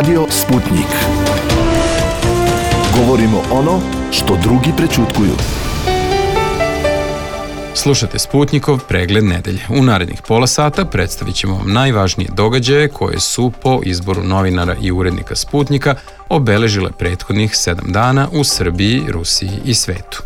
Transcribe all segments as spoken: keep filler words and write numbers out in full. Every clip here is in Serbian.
Radio Sputnik. Govorimo ono što drugi prećutkuju. Slušate Sputnikov pregled nedelje. U narednih pola sata predstavit ćemo vam najvažnije događaje koje su po izboru novinara i urednika Sputnika obeležile prethodnih sedam dana u Srbiji, Rusiji i svetu.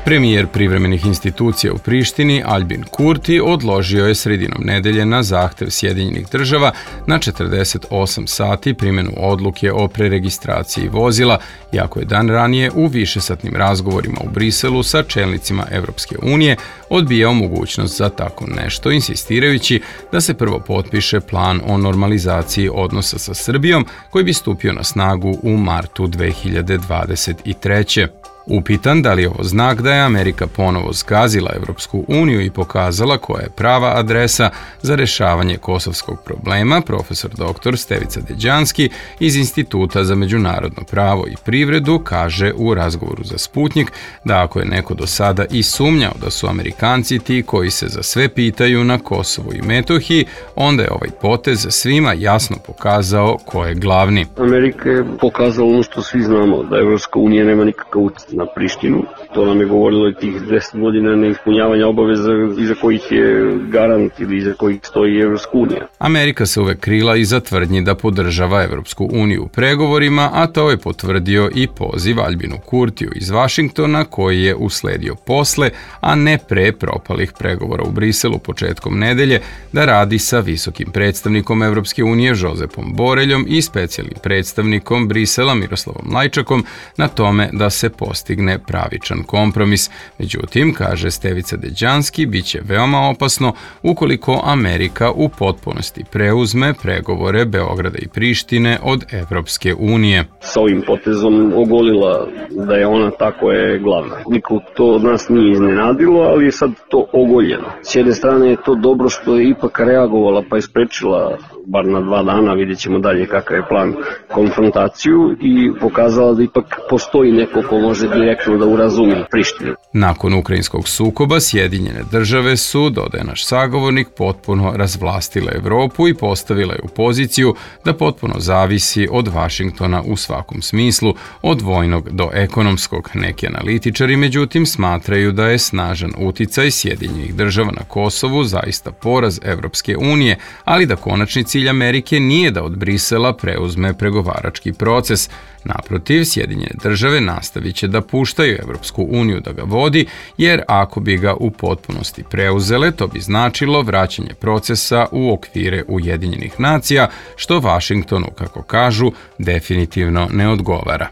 Premijer privremenih institucija u Prištini, Aljbin Kurti, odložio je sredinom nedelje na zahtev Sjedinjenih država na četrdeset osam sati primjenu odluke o preregistraciji vozila, iako je dan ranije u višesatnim razgovorima u Briselu sa čelnicima Evropske unije odbijao mogućnost za tako nešto, insistirajući da se prvo potpiše plan o normalizaciji odnosa sa Srbijom koji bi stupio na snagu u martu dve hiljade dvadeset treće. Upitan da li je ovo znak da je Amerika ponovo zgazila Evropsku uniju i pokazala koja je prava adresa za rešavanje kosovskog problema, profesor doktor Stevica Deđanski iz Instituta za međunarodno pravo i privredu kaže u razgovoru za Sputnik da ako je neko do sada i sumnjao da su Amerikanci ti koji se za sve pitaju na Kosovu i Metohiji, onda je ovaj potez svima jasno pokazao ko je glavni. Amerika je pokazala ono što svi znamo, da Evropska unija nema nikakav utjecaj na Prištinu. To nam je govorilo i tih deset godina neispunjavanja obaveza iza kojih je garant ili iza kojih stoji Evropska unija. Amerika se uvek krila iza tvrdnji da podržava Evropsku uniju u pregovorima, a to je potvrdio i poziv Aljbinu Kurtiju iz Vašingtona koji je usledio posle, a ne pre propalih pregovora u Briselu početkom nedelje, da radi sa visokim predstavnikom Evropske unije Žozepom Boreljom i specijalnim predstavnikom Brisela Miroslavom Lajčakom na tome da se postigne pravičan kompromis. Međutim, kaže Stevica Deđanski, bit će veoma opasno ukoliko Amerika u potpunosti preuzme pregovore Beograda i Prištine od Evropske unije. Sa ovim potezom ogolila da je ona ta koja je glavna. Niko to od nas nije iznenadilo, ali je sad to ogoljeno. S jedne strane je to dobro što je ipak reagovala pa je sprečila bar na dva dana, vidjet ćemo dalje kakav je plan, konfrontaciju i pokazala da ipak postoji neko ko može direktno da urazumi Prištinu. Nakon ukrajinskog sukoba, Sjedinjene države su, dodaje naš sagovornik, potpuno razvlastile Evropu i postavila je u poziciju da potpuno zavisi od Vašingtona u svakom smislu, od vojnog do ekonomskog. Neki analitičari, međutim, smatraju da je snažan uticaj Sjedinjenih država na Kosovu zaista poraz Evropske unije, ali da konačni cilj Amerike nije da od Brisela preuzme pregovarački proces. Naprotiv, Sjedinjene države nastavit će da puštaju Evropsku uniju da ga vodi, jer ako bi ga u potpunosti preuzele, to bi značilo vraćanje procesa u okvire Ujedinjenih nacija, što Vašingtonu, kako kažu, definitivno ne odgovara.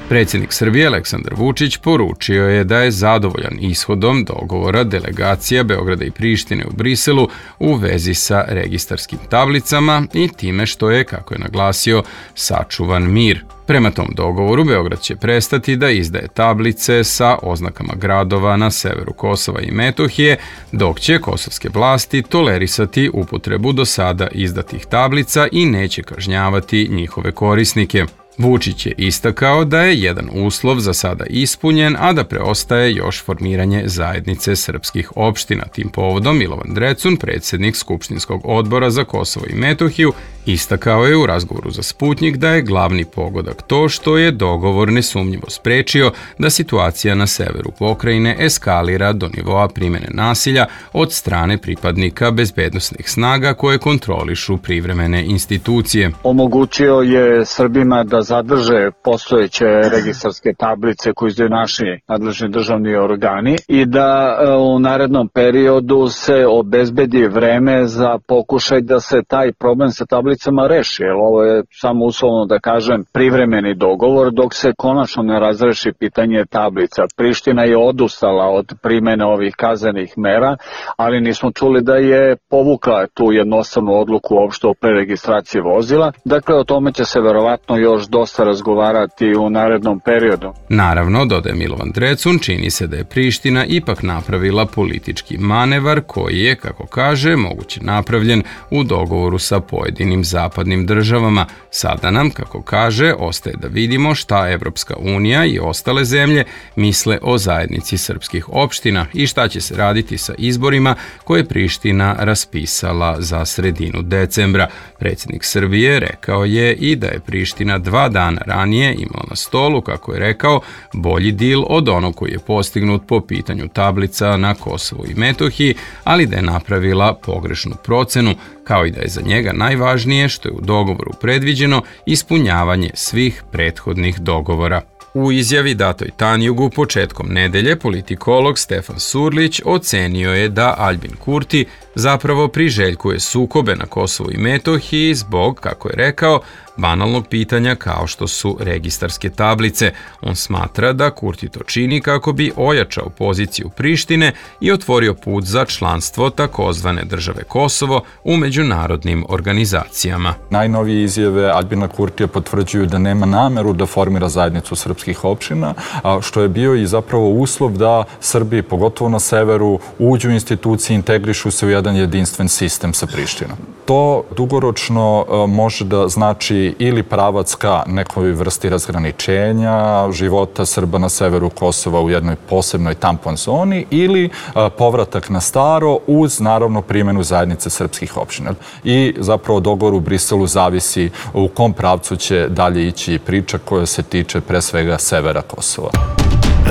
Predsjednik Srbije Aleksandar Vučić poručio je da je zadovoljan ishodom dogovora delegacija Beograda i Prištine u Briselu u vezi sa registarskim tablicama i time što je, kako je naglasio, sačuvan mir. Prema tom dogovoru, Beograd će prestati da izdaje tablice sa oznakama gradova na severu Kosova i Metohije, dok će kosovske vlasti tolerisati upotrebu do sada izdatih tablica i neće kažnjavati njihove korisnike. Vučić je istakao da je jedan uslov za sada ispunjen, a da preostaje još formiranje zajednice srpskih opština. Tim povodom Milovan Drecun, predsjednik Skupštinskog odbora za Kosovo i Metohiju, istakao je u razgovoru za Sputnik da je glavni pogodak to što je dogovor nesumnjivo sprečio da situacija na severu pokrajine eskalira do nivoa primjene nasilja od strane pripadnika bezbednosnih snaga koje kontrolišu privremene institucije. Omogućio je Srbima da zadrže postojeće registarske tablice koje izdaju naši nadležni državni organi i da u narednom periodu se obezbedi vreme za pokušaj da se taj problem sa tablicama reši. Jer ovo je samo uslovno da kažem privremeni dogovor dok se konačno ne razreši pitanje tablica. Priština je odustala od primene ovih kaznenih mera, ali nismo čuli da je povukla tu jednostavnu odluku uopšte o preregistraciji vozila. Dakle, o tome će se verovatno još dosta razgovarati u narednom periodu. Naravno, dodaje Milovan Drecun, čini se da je Priština ipak napravila politički manevar koji je, kako kaže, moguće napravljen u dogovoru sa pojedinim zapadnim državama. Sada nam, kako kaže, ostaje da vidimo šta Evropska unija i ostale zemlje misle o zajednici srpskih opština i šta će se raditi sa izborima koje je Priština raspisala za sredinu decembra. Predsjednik Srbije rekao je i da je Priština dva dana ranije imala na stolu, kako je rekao, bolji dil od onog koji je postignut po pitanju tablica na Kosovu i Metohiji, ali da je napravila pogrešnu procenu, kao i da je za njega najvažnije što je u dogovoru predviđeno ispunjavanje svih prethodnih dogovora. U izjavi datoj Tanjugu početkom nedelje politikolog Stefan Surlić ocenio je da Aljbin Kurti zapravo priželjkuje sukobe na Kosovu i Metohiji zbog, kako je rekao, banalnog pitanja kao što su registarske tablice. On smatra da Kurti to čini kako bi ojačao poziciju Prištine i otvorio put za članstvo takozvane države Kosovo u međunarodnim organizacijama. Najnovije izjave Aljbina Kurtija potvrđuju da nema nameru da formira zajednicu srpskih opština, što je bio i zapravo uslov da Srbi, pogotovo na severu, uđu u institucije, integrišu se u jedan jedinstven sistem sa Prištinom. To dugoročno može da znači ili pravac ka nekoj vrsti razgraničenja života Srba na severu Kosova u jednoj posebnoj tampon zoni ili povratak na staro uz naravno primjenu zajednice srpskih opština. I zapravo dogovor u Briselu zavisi u kom pravcu će dalje ići priča koja se tiče pre svega severa Kosova.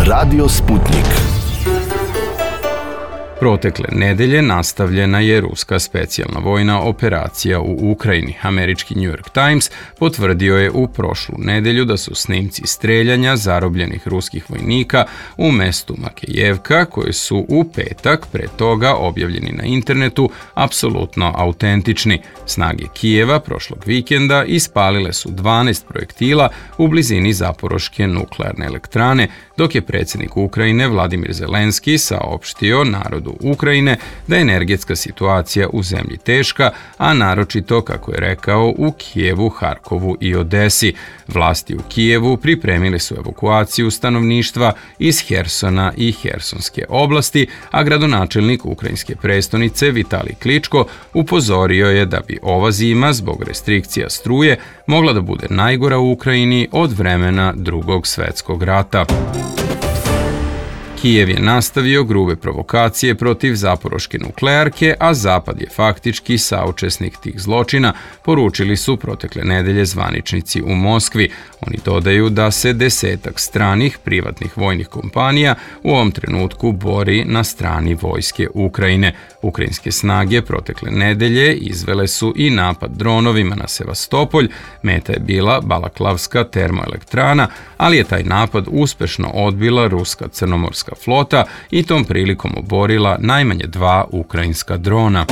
Radio Sputnik. Protekle nedelje nastavljena je ruska specijalna vojna operacija u Ukrajini. Američki New York Times potvrdio je u prošlu nedelju da su snimci streljanja zarobljenih ruskih vojnika u mestu Makejevka, koji su u petak pre toga objavljeni na internetu, apsolutno autentični. Snage Kijeva prošlog vikenda ispalile su dvanaest projektila u blizini Zaporoške nuklearne elektrane, dok je predsjednik Ukrajine Vladimir Zelenski saopštio narodu Ukrajine da je energetska situacija u zemlji teška, a naročito, kako je rekao, u Kijevu, Harkovu i Odesi. Vlasti u Kijevu pripremili su evakuaciju stanovništva iz Hersona i Hersonske oblasti, a gradonačelnik ukrajinske prestonice Vitalij Kličko upozorio je da bi ova zima zbog restrikcija struje mogla da bude najgora u Ukrajini od vremena Drugog svjetskog rata. Kijev je nastavio grube provokacije protiv Zaporoške nuklearke, a Zapad je faktički saučesnik tih zločina, poručili su protekle nedelje zvaničnici u Moskvi. Oni dodaju da se desetak stranih privatnih vojnih kompanija u ovom trenutku bori na strani vojske Ukrajine. Ukrajinske snage protekle nedelje izvele su i napad dronovima na Sevastopolj, meta je bila Balaklavska termoelektrana, ali je taj napad uspešno odbila ruska crnomorska flota i tom prilikom oborila najmanje dva ukrajinska drona.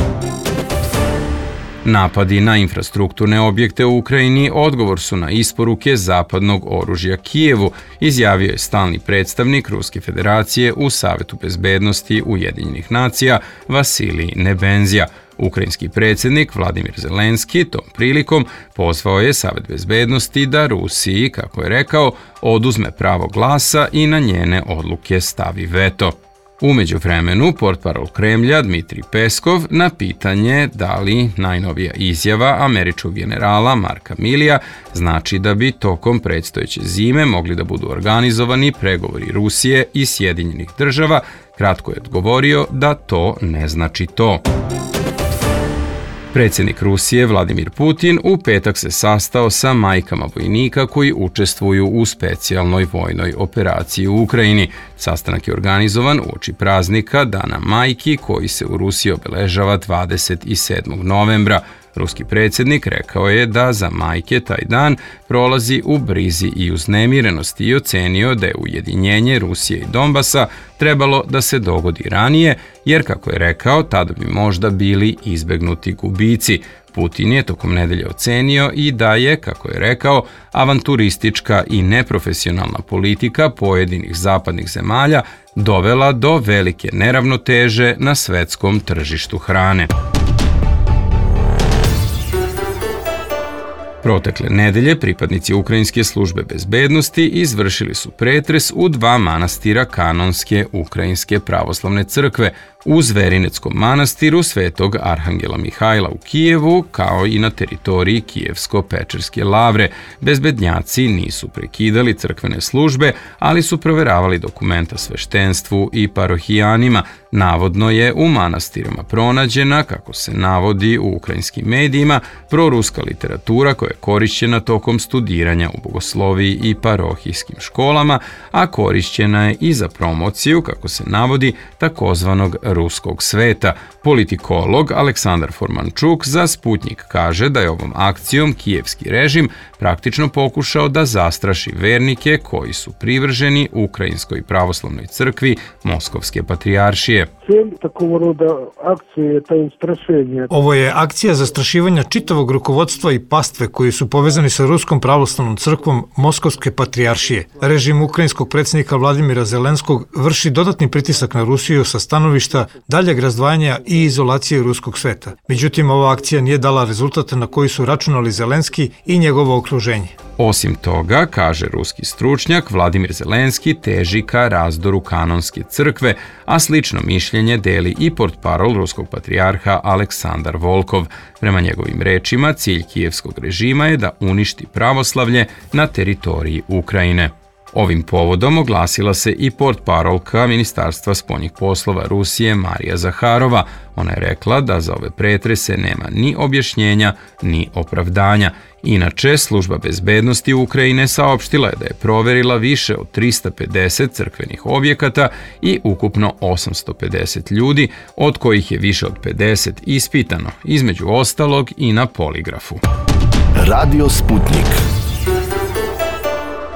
Napadi na infrastrukturne objekte u Ukrajini odgovor su na isporuke zapadnog oružja Kijevu, izjavio je stalni predstavnik Ruske federacije u Savetu bezbednosti Ujedinjenih nacija Vasilij Nebenzija. Ukrajinski predsjednik Vladimir Zelenski tom prilikom pozvao je Savet bezbednosti da Rusiji, kako je rekao, oduzme pravo glasa i na njene odluke stavi veto. U međuvremenu, portparol Kremlja Dmitrij Peskov na pitanje da li najnovija izjava američkog generala Marka Milija znači da bi tokom predstojeće zime mogli da budu organizovani pregovori Rusije i Sjedinjenih država, kratko je odgovorio da to ne znači to. Predsjednik Rusije Vladimir Putin u petak se sastao sa majkama vojnika koji učestvuju u specijalnoj vojnoj operaciji u Ukrajini. Sastanak je organizovan uoči praznika Dana majki koji se u Rusiji obeležava dvadeset sedmog novembra. Ruski predsjednik rekao je da za majke taj dan prolazi u brizi i uznemirenosti i ocenio da je ujedinjenje Rusije i Donbasa trebalo da se dogodi ranije, jer, kako je rekao, tada bi možda bili izbegnuti gubici. Putin je tokom nedelje ocenio i da je, kako je rekao, avanturistička i neprofesionalna politika pojedinih zapadnih zemalja dovela do velike neravnoteže na svetskom tržištu hrane. Protekle nedelje pripadnici Ukrajinske službe bezbednosti izvršili su pretres u dva manastira kanonske Ukrajinske pravoslavne crkve, u Zverineckom manastiru Svetog Arhangela Mihajla u Kijevu, kao i na teritoriji Kijevsko-Pečerske lavre. Bezbednjaci nisu prekidali crkvene službe, ali su proveravali dokumenta sveštenstvu i parohijanima. Navodno je u manastirima pronađena, kako se navodi u ukrajinskim medijima, proruska literatura koja je korišćena tokom studiranja u bogosloviji i parohijskim školama, a korišćena je i za promociju, kako se navodi, takozvanog ruskog sveta. Politikolog Aleksandar Formančuk za Sputnjik kaže da je ovom akcijom kijevski režim praktično pokušao da zastraši vernike koji su privrženi Ukrajinskoj pravoslavnoj crkvi Moskovske patrijaršije. Ovo je akcija zastrašivanja čitavog rukovodstva i pastve koji su povezani sa Ruskom pravoslavnom crkvom Moskovske patrijaršije. Režim ukrajinskog predsjednika Vladimira Zelenskog vrši dodatni pritisak na Rusiju sa stanovišta daljeg razdvajanja i izolacije ruskog sveta. Međutim, ova akcija nije dala rezultate na koji su računali Zelenski i njegovo okruženje. Osim toga, kaže ruski stručnjak, Vladimir Zelenski teži ka razdoru kanonske crkve, a slično mišljenje deli i portparol ruskog patrijarha Aleksandar Volkov. Prema njegovim rečima, cilj kijevskog režima je da uništi pravoslavlje na teritoriji Ukrajine. Ovim povodom oglasila se i portparolka Ministarstva spoljnih poslova Rusije Marija Zaharova. Ona je rekla da za ove pretrese nema ni objašnjenja, ni opravdanja. Inače, služba bezbednosti Ukrajine saopštila je da je proverila više od trista pedeset crkvenih objekata i ukupno osamsto pedeset ljudi, od kojih je više od pedeset ispitano, između ostalog i na poligrafu. Radio Sputnik.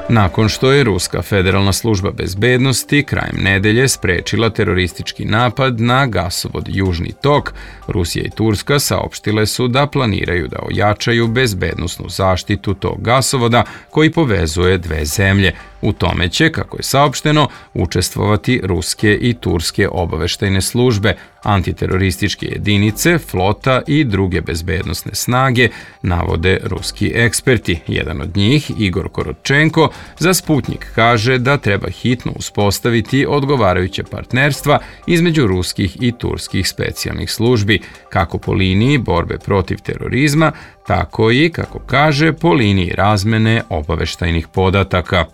Nakon što je Ruska federalna služba bezbednosti krajem nedelje sprečila teroristički napad na gasovod Južni tok, Rusija i Turska saopštile su da planiraju da ojačaju bezbednosnu zaštitu tog gasovoda koji povezuje dve zemlje. U tome će, kako je saopšteno, učestvovati ruske i turske obaveštajne službe, antiterorističke jedinice, flota i druge bezbednosne snage, navode ruski eksperti. Jedan od njih, Igor Korotčenko, za Sputnjik kaže da treba hitno uspostaviti odgovarajuće partnerstva između ruskih i turskih specijalnih službi, kako po liniji borbe protiv terorizma, tako i, kako kaže, po liniji razmene obaveštajnih podataka.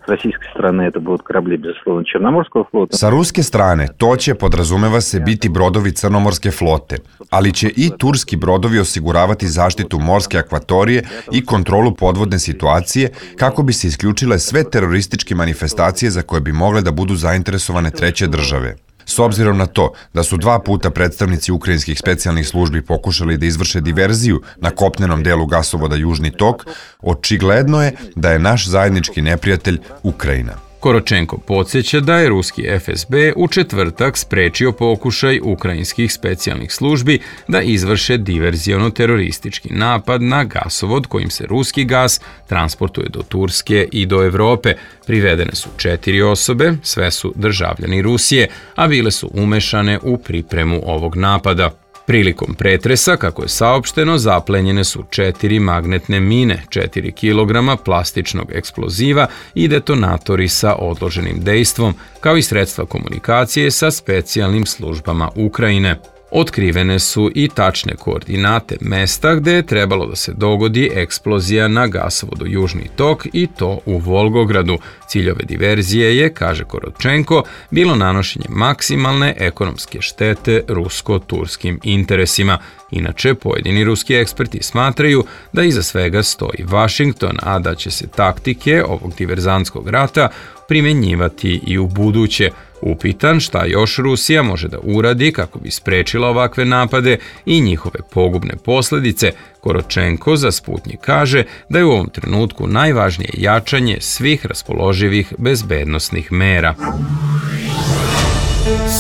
Sa ruske strane to će, podrazumeva se, biti brodovi Crnomorske flote, ali će i turski brodovi osiguravati zaštitu morske akvatorije i kontrolu podvodne situacije kako bi se isključile sve terorističke manifestacije za koje bi mogle da budu zainteresovane treće države. S obzirom na to da su dva puta predstavnici ukrajinskih specijalnih službi pokušali da izvrše diverziju na kopnenom delu gasovoda Južni tok, očigledno je da je naš zajednički neprijatelj Ukrajina. Korotčenko podsjeća da je ruski F S B u četvrtak sprečio pokušaj ukrajinskih specijalnih službi da izvrše diverziono-teroristički napad na gasovod kojim se ruski gas transportuje do Turske i do Evrope. Privedene su četiri osobe, sve su državljani Rusije, a bile su umešane u pripremu ovog napada. Prilikom pretresa, kako je saopšteno, zaplenjene su četiri magnetne mine, četiri kilograma plastičnog eksploziva i detonatori sa odloženim dejstvom, kao i sredstva komunikacije sa specijalnim službama Ukrajine. Otkrivene su i tačne koordinate mesta gde je trebalo da se dogodi eksplozija na gasovodu Južni tok i to u Volgogradu. Cilj ove diverzije je, kaže Korotčenko, bilo nanošenje maksimalne ekonomske štete rusko-turskim interesima. Inače, pojedini ruski eksperti smatraju da iza svega stoji Vašington, a da će se taktike ovog diverzantskog rata primenjivati i u buduće. Upitan šta još Rusija može da uradi kako bi sprečila ovakve napade i njihove pogubne posljedice, Korotčenko za Sputnjik kaže da je u ovom trenutku najvažnije jačanje svih raspoloživih bezbednosnih mera.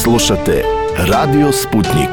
Slušate Radio Sputnik.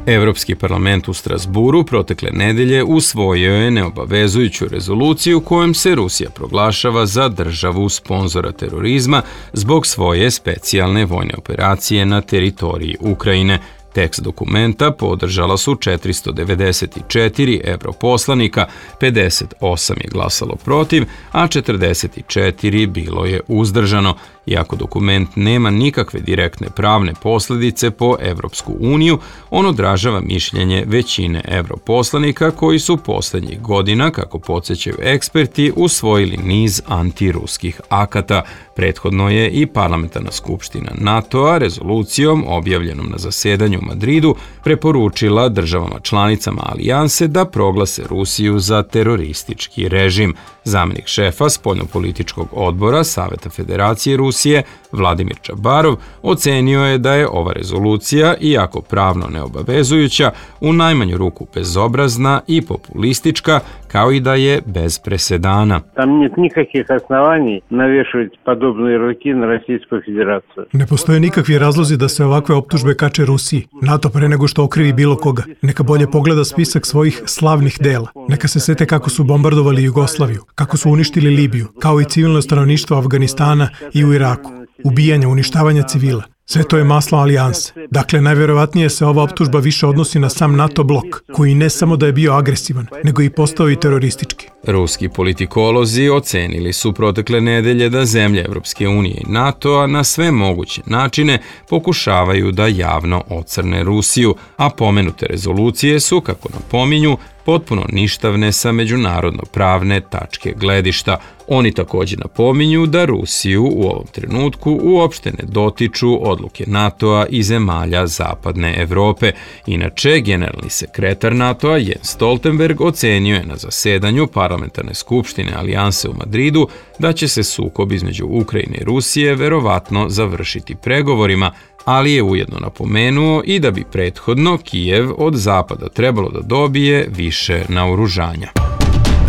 Evropski parlament u Strasburu protekle nedelje usvojio je neobavezujuću rezoluciju kojom se Rusija proglašava za državu sponzora terorizma zbog svoje specijalne vojne operacije na teritoriji Ukrajine. Tekst dokumenta podržala su četiristo devedeset četiri europoslanika, pedeset osam je glasalo protiv, a četrdeset četiri bilo je uzdržano. Iako dokument nema nikakve direktne pravne posljedice po Evropsku uniju, on odražava mišljenje većine europoslanika koji su posljednjih godina, kako podsjećaju eksperti, usvojili niz antiruskih akata. Prethodno je i Parlamentarna skupština NATO-a rezolucijom objavljenom na zasedanju u Madridu preporučila državama članicama alijanse da proglase Rusiju za teroristički režim. Zamenik šefa spoljnopolitičkog odbora Saveta Federacije Rusije, Vladimir Čabarov, ocenio je da je ova rezolucija, iako pravno neobavezujuća, u najmanju ruku bezobrazna i populistička, kao i da je bez presedana. Tam нет никаких оснований навешивать подобные ярлыки на Российскую Федерацию. Ne postoje nikakvi razlozi da se ovakve optužbe kače Rusiji. NATO pre nego što okrivi bilo koga. Neka bolje pogleda spisak svojih slavnih dela. Neka se sete kako su bombardovali Jugoslaviju, kako su uništili Libiju, kao i civilno stanovništvo Afganistana i u Iraku. Ubijanja, uništavanja civila. Sve to je maslo alijanse. Dakle, najvjerovatnije se ova optužba više odnosi na sam NATO blok, koji ne samo da je bio agresivan, nego i postao i teroristički. Ruski politikolozi ocenili su protekle nedelje da zemlje Evropske unije i NATO-a na sve moguće načine pokušavaju da javno ocrne Rusiju, a pomenute rezolucije su, kako napominju, potpuno ništavne sa međunarodno pravne tačke gledišta. Oni također napominju da Rusiju u ovom trenutku uopšte ne dotiču odluke NATO-a i zemalja Zapadne Evrope. Inače, generalni sekretar NATO-a Jens Stoltenberg ocenio je na zasedanju Parlamentarne skupštine alijanse u Madridu da će se sukob između Ukrajine i Rusije verovatno završiti pregovorima, ali je ujedno napomenuo i da bi prethodno Kijev od Zapada trebalo da dobije više naoružanja.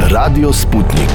Radio Sputnik.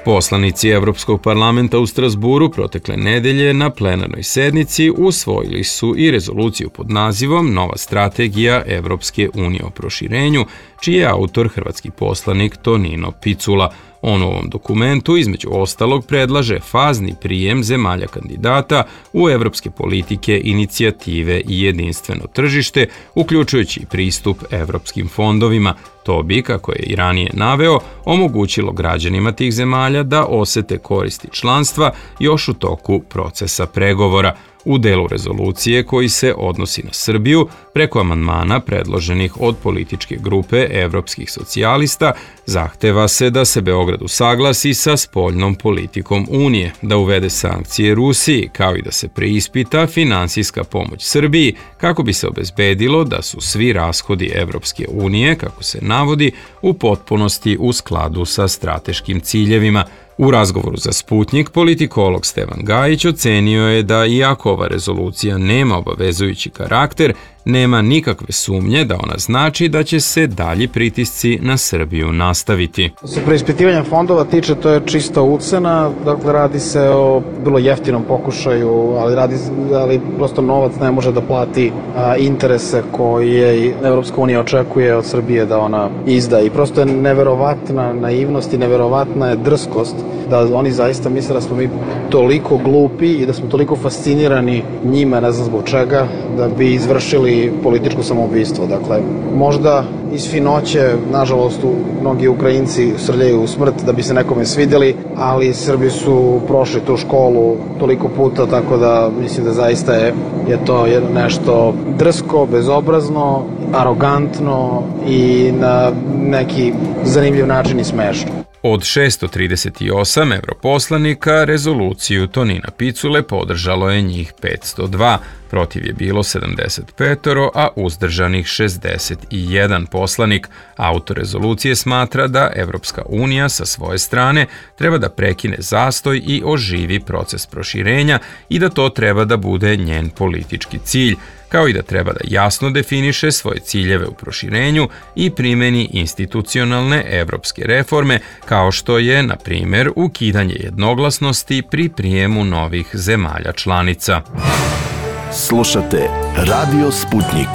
Poslanici Evropskog parlamenta u Strasburu protekle nedelje na plenarnoj sednici usvojili su i rezoluciju pod nazivom Nova strategija Evropske unije o proširenju, čiji je autor hrvatski poslanik Tonino Picula. On u ovom dokumentu između ostalog predlaže fazni prijem zemalja kandidata u evropske politike, inicijative i jedinstveno tržište, uključujući pristup evropskim fondovima. To bi, kako je i ranije naveo, omogućilo građanima tih zemalja da osete koristi članstva još u toku procesa pregovora. U delu rezolucije koji se odnosi na Srbiju, preko amandmana predloženih od političke grupe evropskih socijalista, zahteva se da se Beograd usaglasi sa spoljnom politikom Unije, da uvede sankcije Rusiji, kao i da se preispita finansijska pomoć Srbiji, kako bi se obezbedilo da su svi rashodi Evropske unije, kako se navodi, u potpunosti u skladu sa strateškim ciljevima. U razgovoru za Sputnik, politikolog Stevan Gajić ocenio je da iako ova rezolucija nema obavezujući karakter, nema nikakve sumnje da ona znači da će se dalji pritisci na Srbiju nastaviti. Se preispitivanja fondova tiče, to je čista ucena, dakle radi se o bilo jeftinom pokušaju, ali, radi, ali prosto novac ne može da plati a, interese koje Evropska unija očekuje od Srbije da ona izda i prosto je neverovatna naivnost i neverovatna je drskost da oni zaista misle da smo mi toliko glupi i da smo toliko fascinirani njima, ne znam zbog čega, da bi izvršili političko samoubistvo. Dakle, možda iz finoće, nažalost, mnogi Ukrajinci srljaju u smrt da bi se nekome svidjeli, ali Srbi su prošli tu školu toliko puta, tako da mislim da zaista je, je to nešto drsko, bezobrazno, arogantno i na neki zanimljiv način i smešno. Od šesto trideset osam europoslanika rezoluciju Tonina Picule podržalo je njih petsto dva, protiv je bilo sedamdeset pet, a uzdržanih šezdeset jedan poslanik. Autor rezolucije smatra da Evropska unija sa svoje strane treba da prekine zastoj i oživi proces proširenja i da to treba da bude njen politički cilj, kao i da treba da jasno definiše svoje ciljeve u proširenju i primeni institucionalne evropske reforme, kao što je, na primjer, ukidanje jednoglasnosti pri prijemu novih zemalja članica. Slušate Radio Sputnik.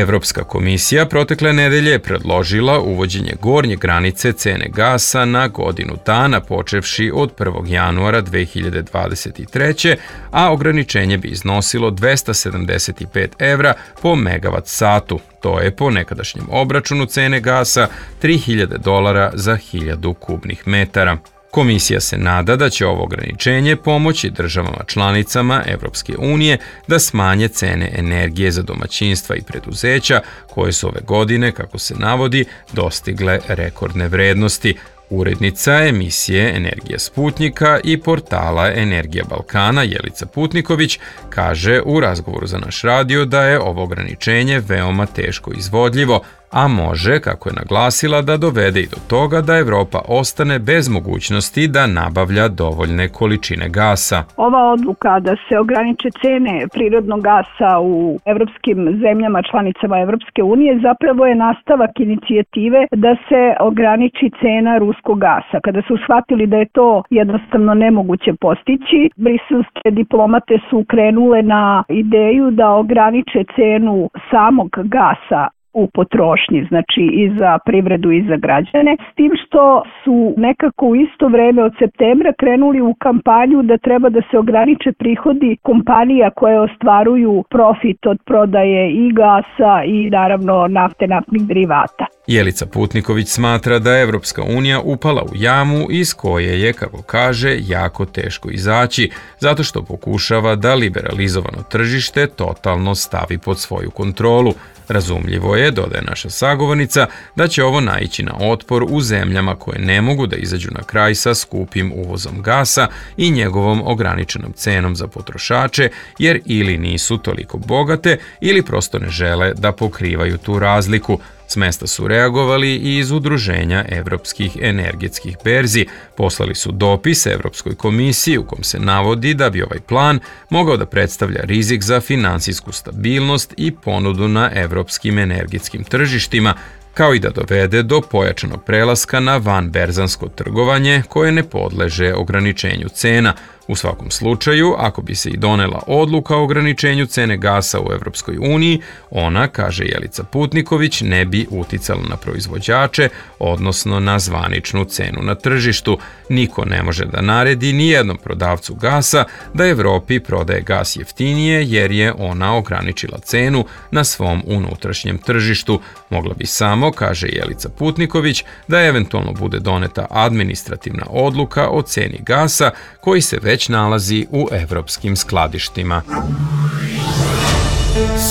Evropska komisija protekle nedelje je predložila uvođenje gornje granice cene gasa na godinu dana počevši od prvog januara dve hiljade dvadeset treće. a ograničenje bi iznosilo dvesta sedamdeset pet evra po megavat satu. To je po nekadašnjem obračunu cene gasa tri hiljade dolara za hiljadu kubnih metara. Komisija se nada da će ovo ograničenje pomoći državama članicama Evropske unije da smanje cene energije za domaćinstva i preduzeća koje su ove godine, kako se navodi, dostigle rekordne vrednosti. Urednica emisije Energija Sputnika i portala Energija Balkana Jelica Putniković kaže u razgovoru za naš radio da je ovo ograničenje veoma teško izvodljivo, a može, kako je naglasila, da dovede i do toga da Evropa ostane bez mogućnosti da nabavlja dovoljne količine gasa. Ova odluka da se ograniče cene prirodnog gasa u evropskim zemljama članicama Evropske unije zapravo je nastavak inicijative da se ograniči cena ruskog gasa. Kada su shvatili da je to jednostavno nemoguće postići, briselske diplomate su krenule na ideju da ograniče cenu samog gasa u potrošnji, znači i za privredu i za građane, s tim što su nekako u isto vreme od septembra krenuli u kampanju da treba da se ograniče prihodi kompanija koje ostvaruju profit od prodaje i gasa i naravno nafte, naftnih derivata. Jelica Putniković smatra da je Evropska unija upala u jamu iz koje je, kako kaže, jako teško izaći, zato što pokušava da liberalizovano tržište totalno stavi pod svoju kontrolu. Razumljivo je, dodaje naša sagovornica, da će ovo naići na otpor u zemljama koje ne mogu da izađu na kraj sa skupim uvozom gasa i njegovom ograničenom cenom za potrošače, jer ili nisu toliko bogate ili prosto ne žele da pokrivaju tu razliku. S mesta su reagovali i iz Udruženja evropskih energetskih berzi. Poslali su dopis Evropskoj komisiji u kom se navodi da bi ovaj plan mogao da predstavlja rizik za finansijsku stabilnost i ponudu na evropskim energetskim tržištima, kao i da dovede do pojačanog prelaska na vanberzansko trgovanje koje ne podleže ograničenju cena. U svakom slučaju, ako bi se i donela odluka o ograničenju cene gasa u Evropskoj uniji, ona, kaže Jelica Putniković, ne bi uticala na proizvođače, odnosno na zvaničnu cenu na tržištu. Niko ne može da naredi ni jednom prodavcu gasa da Evropi prodaje gas jeftinije jer je ona ograničila cenu na svom unutrašnjem tržištu. Mogla bi samo, kaže Jelica Putniković, da eventualno bude doneta administrativna odluka o ceni gasa koji se već već nalazi u evropskim skladištima.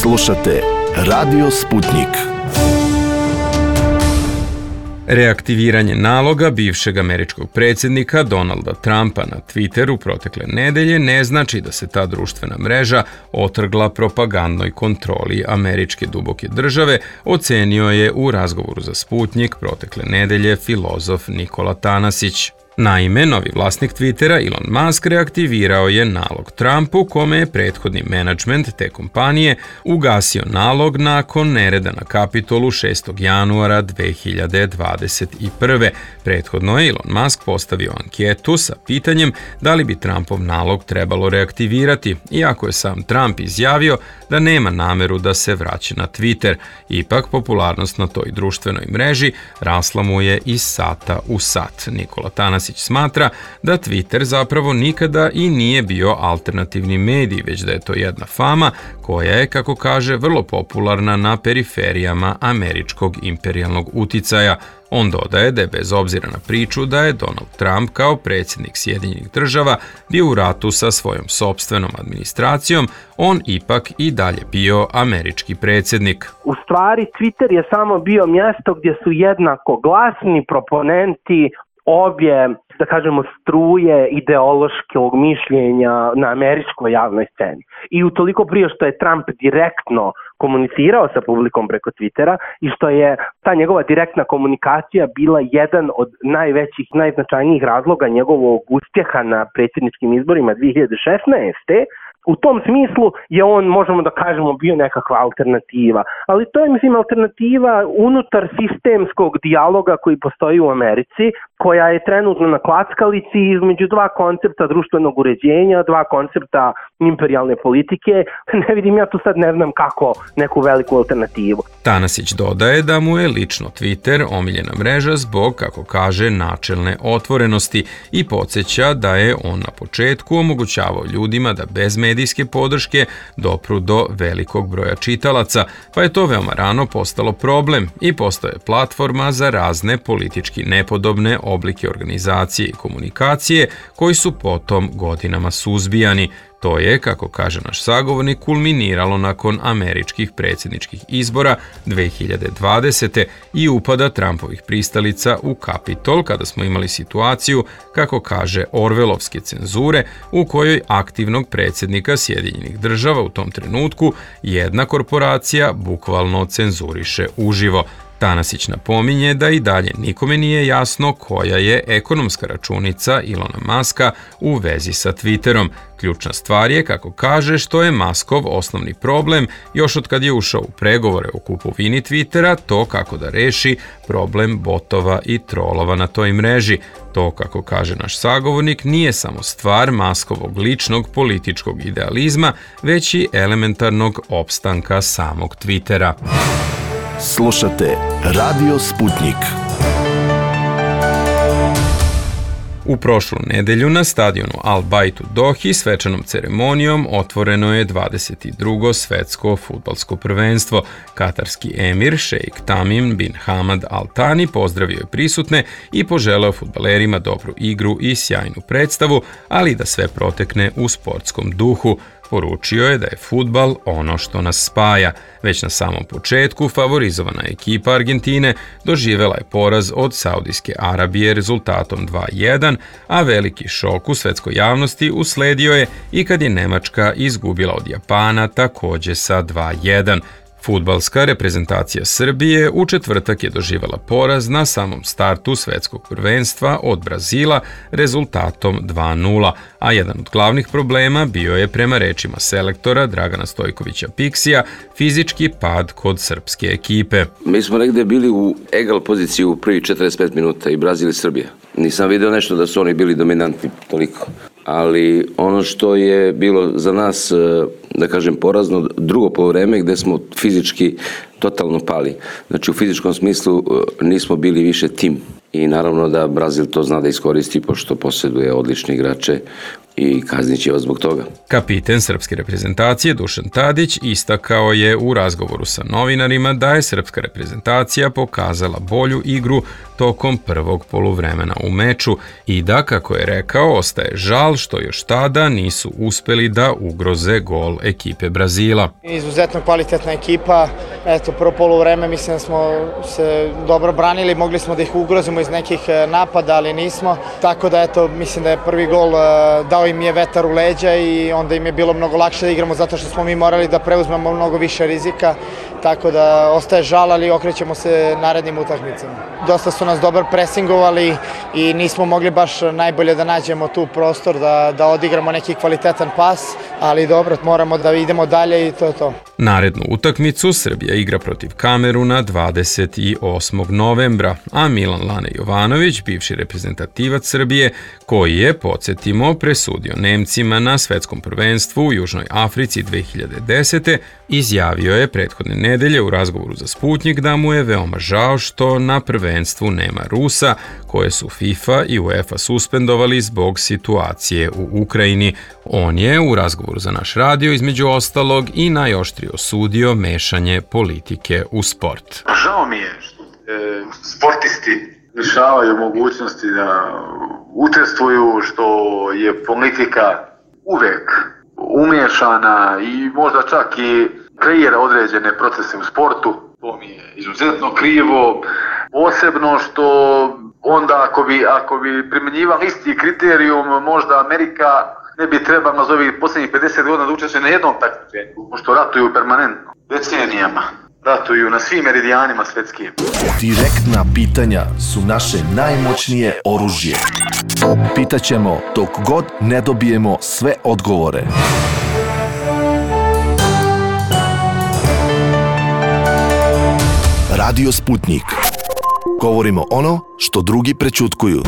Slušate Radio Sputnik. Reaktiviranje naloga bivšeg američkog predsjednika Donalda Trumpa na Twitteru protekle nedelje ne znači da se ta društvena mreža otrgla propagandnoj kontroli američke duboke države, ocenio je u razgovoru za Sputnik protekle nedelje filozof Nikola Tanasić. Naime, novi vlasnik Twittera Elon Musk reaktivirao je nalog Trumpu, kome je prethodni menadžment te kompanije ugasio nalog nakon nereda na Kapitolu šestog januara dve hiljade dvadeset prve. Prethodno je Elon Musk postavio anketu sa pitanjem da li bi Trumpov nalog trebalo reaktivirati, iako je sam Trump izjavio da nema nameru da se vraća na Twitter. Ipak, popularnost na toj društvenoj mreži rasla mu je iz sata u sat. Nikola Tanasić smatra da Twitter zapravo nikada i nije bio alternativni medij, već da je to jedna fama koja je, kako kaže, vrlo popularna na periferijama američkog imperijalnog uticaja. On dodaje da je bez obzira na priču da je Donald Trump kao predsjednik Sjedinjenih država bio u ratu sa svojom sopstvenom administracijom, on ipak i dalje bio američki predsjednik. U stvari, Twitter je samo bio mjesto gdje su jednako glasni proponenti obje, da kažemo, struje ideološkog mišljenja na američkoj javnoj sceni. I utoliko prije što je Trump direktno komunicirao sa publikom preko Twittera i što je ta njegova direktna komunikacija bila jedan od najvećih, najznačajnijih razloga njegovog uspjeha na predsjedničkim izborima dve hiljade šesnaeste. U tom smislu je on, možemo da kažemo, bio nekakva alternativa. Ali to je, mislim, alternativa unutar sistemskog dijaloga koji postoji u Americi, koja je trenutno na klackalici između dva koncepta društvenog uređenja, dva koncepta imperijalne politike. Ne vidim ja tu sad, ne znam kako, neku veliku alternativu. Tanasić dodaje da mu je lično Twitter omiljena mreža zbog, kako kaže, načelne otvorenosti i podsjeća da je on na početku omogućavao ljudima da bez medijske podrške dopru do velikog broja čitalaca, pa je to veoma rano postalo problem i postaje platforma za razne politički nepodobne oblike organizacije i komunikacije koji su potom godinama suzbijani. To je, kako kaže naš sagovornik, kulminiralo nakon američkih predsjedničkih izbora dve hiljade dvadesete. i upada Trumpovih pristalica u Kapitol, kada smo imali situaciju, kako kaže, orvelovske cenzure, u kojoj aktivnog predsjednika Sjedinjenih država u tom trenutku jedna korporacija bukvalno cenzuriše uživo. Tanasić napominje da i dalje nikome nije jasno koja je ekonomska računica Ilona Maska u vezi sa Twitterom. Ključna stvar je, kako kaže, što je Maskov osnovni problem još od kad je ušao u pregovore o kupovini Twittera, to kako da reši problem botova i trolova na toj mreži. To, kako kaže naš sagovornik, nije samo stvar Maskovog ličnog političkog idealizma, već i elementarnog opstanka samog Twittera. Slušate Radio Sputnik. U prošlu nedelju na stadionu Al Bayt u Dohi svečanom ceremonijom otvoreno je dvadeset drugo svetsko fudbalsko prvenstvo. Katarski emir šejk Tamim bin Hamad Al Thani pozdravio je prisutne i poželeo fudbalerima dobru igru i sjajnu predstavu, ali da sve protekne u sportskom duhu. Poručio je da je fudbal ono što nas spaja. Već na samom početku favorizovana ekipa Argentine doživela je poraz od Saudijske Arabije rezultatom dva jedan, a veliki šok u svetskoj javnosti usledio je i kad je Nemačka izgubila od Japana takođe sa dva jedan. Fudbalska reprezentacija Srbije u četvrtak je doživjela poraz na samom startu svetskog prvenstva od Brazila rezultatom dva nula, a jedan od glavnih problema bio je, prema rečima selektora Dragana Stojkovića Piksija, fizički pad kod srpske ekipe. Mi smo negde bili u egal poziciji u prvi četrdeset pet minuta i Brazil i Srbija. Nisam video nešto da su oni bili dominantni toliko. Ali ono što je bilo za nas, da kažem, porazno, drugo poluvreme gde smo fizički totalno pali. Znači u fizičkom smislu nismo bili više tim. I naravno da Brazil to zna da iskoristi pošto posjeduje odlične igrače i kaznit će vas zbog toga. Kapiten srpske reprezentacije Dušan Tadić istakao je u razgovoru sa novinarima da je srpska reprezentacija pokazala bolju igru tokom prvog poluvremena u meču i da, kako je rekao, ostaje žal što još tada nisu uspeli da ugroze gol ekipe Brazila. Izuzetno kvalitetna ekipa. Eto, prvo poluvreme mislim da smo se dobro branili, mogli smo da ih ugrozimo iz nekih napada, ali nismo. Tako da, eto, mislim da je prvi gol dao im je vetar u leđa i onda im je bilo mnogo lakše da igramo zato što smo mi morali da preuzmemo mnogo više rizika. Tako da ostaje žal, ali okrećemo se narednim utakmicama. Dosta su nas dobro presingovali i nismo mogli baš najbolje da nađemo tu prostor da, da odigramo neki kvalitetan pas, ali dobro, moramo da idemo dalje i to je to. Narednu utakmicu Srbija igra protiv Kameruna dvadeset osmog novembra, a Milan Lane Jovanović, bivši reprezentativac Srbije, koji je, podsjetimo, presudio Nemcima na svetskom prvenstvu u Južnoj Africi dve hiljade desete. izjavio je prethodne nedelje u razgovoru za Sputnik da mu je veoma žao što na prvenstvu nema Rusa, koje su FIFA i UEFA suspendovali zbog situacije u Ukrajini. On je u razgovoru za naš radio između ostalog i najoštrije osudio mešanje politike u sport. Žao mi je što e, sportisti lišavaju mogućnosti da učestvuju, što je politika uvek umiješana i možda čak i kreira određene procese u sportu. To mi je izuzetno krivo, posebno što onda ako bi, ako bi primjenjivali isti kriterijum, možda Amerika ne bi trebala za ovih posljednjih pedeset godina da učestvuje na jednom takmičenju, pošto ratuju permanentno, decenijama. Ratuju na svim meridijanima svetskim. Direktna pitanja su naše najmoćnije oružje. Pitaćemo dok god ne dobijemo sve odgovore. Radio Sputnik. Govorimo ono što drugi prećutkuju.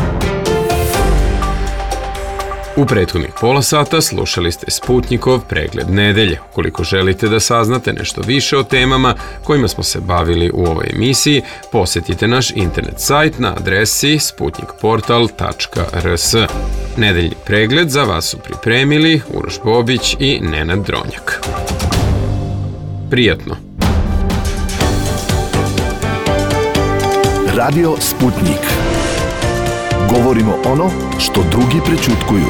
U prethodnih pola sata slušali ste Sputnikov pregled nedelje. Ukoliko želite da saznate nešto više o temama kojima smo se bavili u ovoj emisiji, posjetite naš internet sajt na adresi sputnikportal tačka r s. Nedeljni pregled za vas su pripremili Uroš Bobić i Nenad Dronjak. Prijatno! Radio Sputnik. Govorimo ono što drugi prećutkuju.